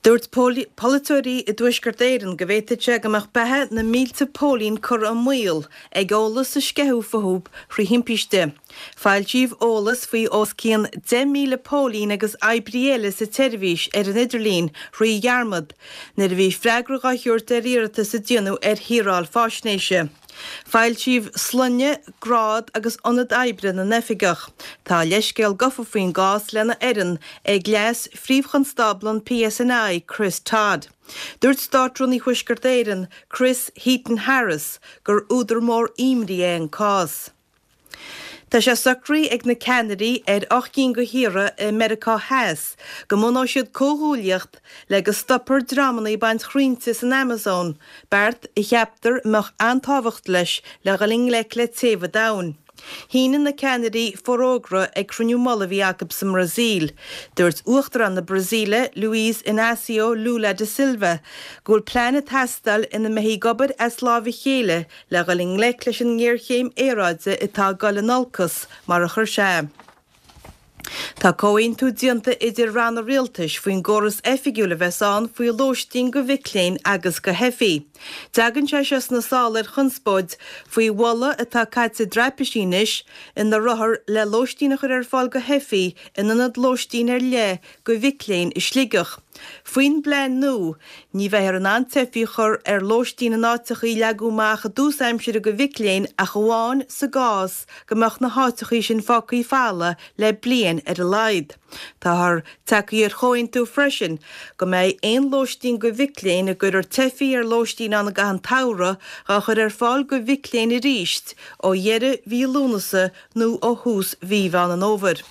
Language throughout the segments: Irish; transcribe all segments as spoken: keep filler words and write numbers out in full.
Dúirt polaiteoirí i dTuaisceart Éireann go bhféadfadh sé go mbeadh beatha na mílte póilín curtha i mbaol ag eolas a sceitheadh fúthu thrí thimpiste. Foilsíodh eolas faoi os cionn deich míle póilín agus oibrí eile sa tseirbhís ar an idirlíon thrí dhearmad nuair a bhí freagra á thabhairt ar iarratas a déanadh ar shaoráil faisnéise. Foilsíodh sloinne, grád agus ionad oibre na n-oifigeach. Tá leithscéal gafa faoin gcás lena fhoireann ag Leas-Phríomh-Chonstábla an PSNI, Chris Todd. Dúirt Státrúnaí Thuaisceart Éireann, Chris Heaton-Harris, gur údar mór imní é an cás. Tá sé socraithe ag na ceannairí ar ocht gcinn de thíortha i Meiriceá Theas go mbunóidh siad comhghuaillíocht le go stopfar dreamanna ag baint chrainnte san Amazon, beart a cheaptar a mbeadh an-tábhacht leis le dhul i ngleic le téamh an domhain. Shínigh na ceannairí forógra ag cruinniú mullaigh a bhí acu sa mBrasaíl. Dúirt Uachtarán na Brasaíle, Luiz Inácio Lula da Silva, go bhfuil plean ag teastáil ina mbeifí ag obair as lámh a chéile le dhul i ngleic leis an ngéarchéim aeráide atá ag dul in olcas, mar a chuir sé. Tá comhaontú déanta idir ranna rialtais faoin gcóras oifigiúil a bheas ann faoi lóistín do mhic léinn agus do theifigh. Tagann sé seo sna sála ar chonspóid faoi mholadh atá caite i dtraipisí anois ina rithfear le lóistín a chur ar fáil do theifigh in ionad lóistín ar leith do mhic léinn i Sligeach. Faoin bplean nua, ní bheifear in ann teifigh a chur ar lóistín in áiteachaí a leagadh amach i dtús aimsire do mhic léinn ach amháin sa gcás go mbeadh na háiteachaí sin fágtha folamh le bliain ar a laghad. Táthar tagtha ar chomhaontú freisin go mbeidh aon lóistín do mhic léinn a gcuirfear teifigh ar lóistín ann i gcaitheamh an tsamhraidh á chur ar fáil do mhic léinn arís ó dheireadh mhí Lúnasa nó ó thús mhí Mheán an Fhómhair.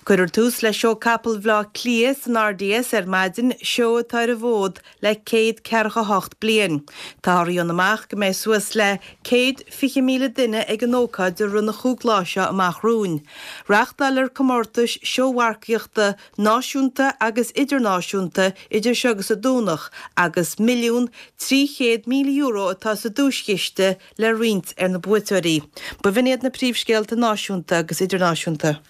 Cuirfear tús le Seó Capall Bhaile Átha Cliath san RDS ar maidin, seó atá ar an bhfód le céad ceathracha hocht bliain. Táthar a dhéanamh amach go mbeidh suas le céad fiche míle duine ag an ócáid i rith na chúig lá seo amach romhainn. Reáchtálfar comórtais seómharcaíochta náisiúnta agus idirnáisiúnta idir seo agus an Domhnach agus milliún trí chéad míle euro atá sa duaischiste le roinnt ar na buaiteoirí. B'in iad na príomhscéalta náisiúnta agus idirnáisiúnta.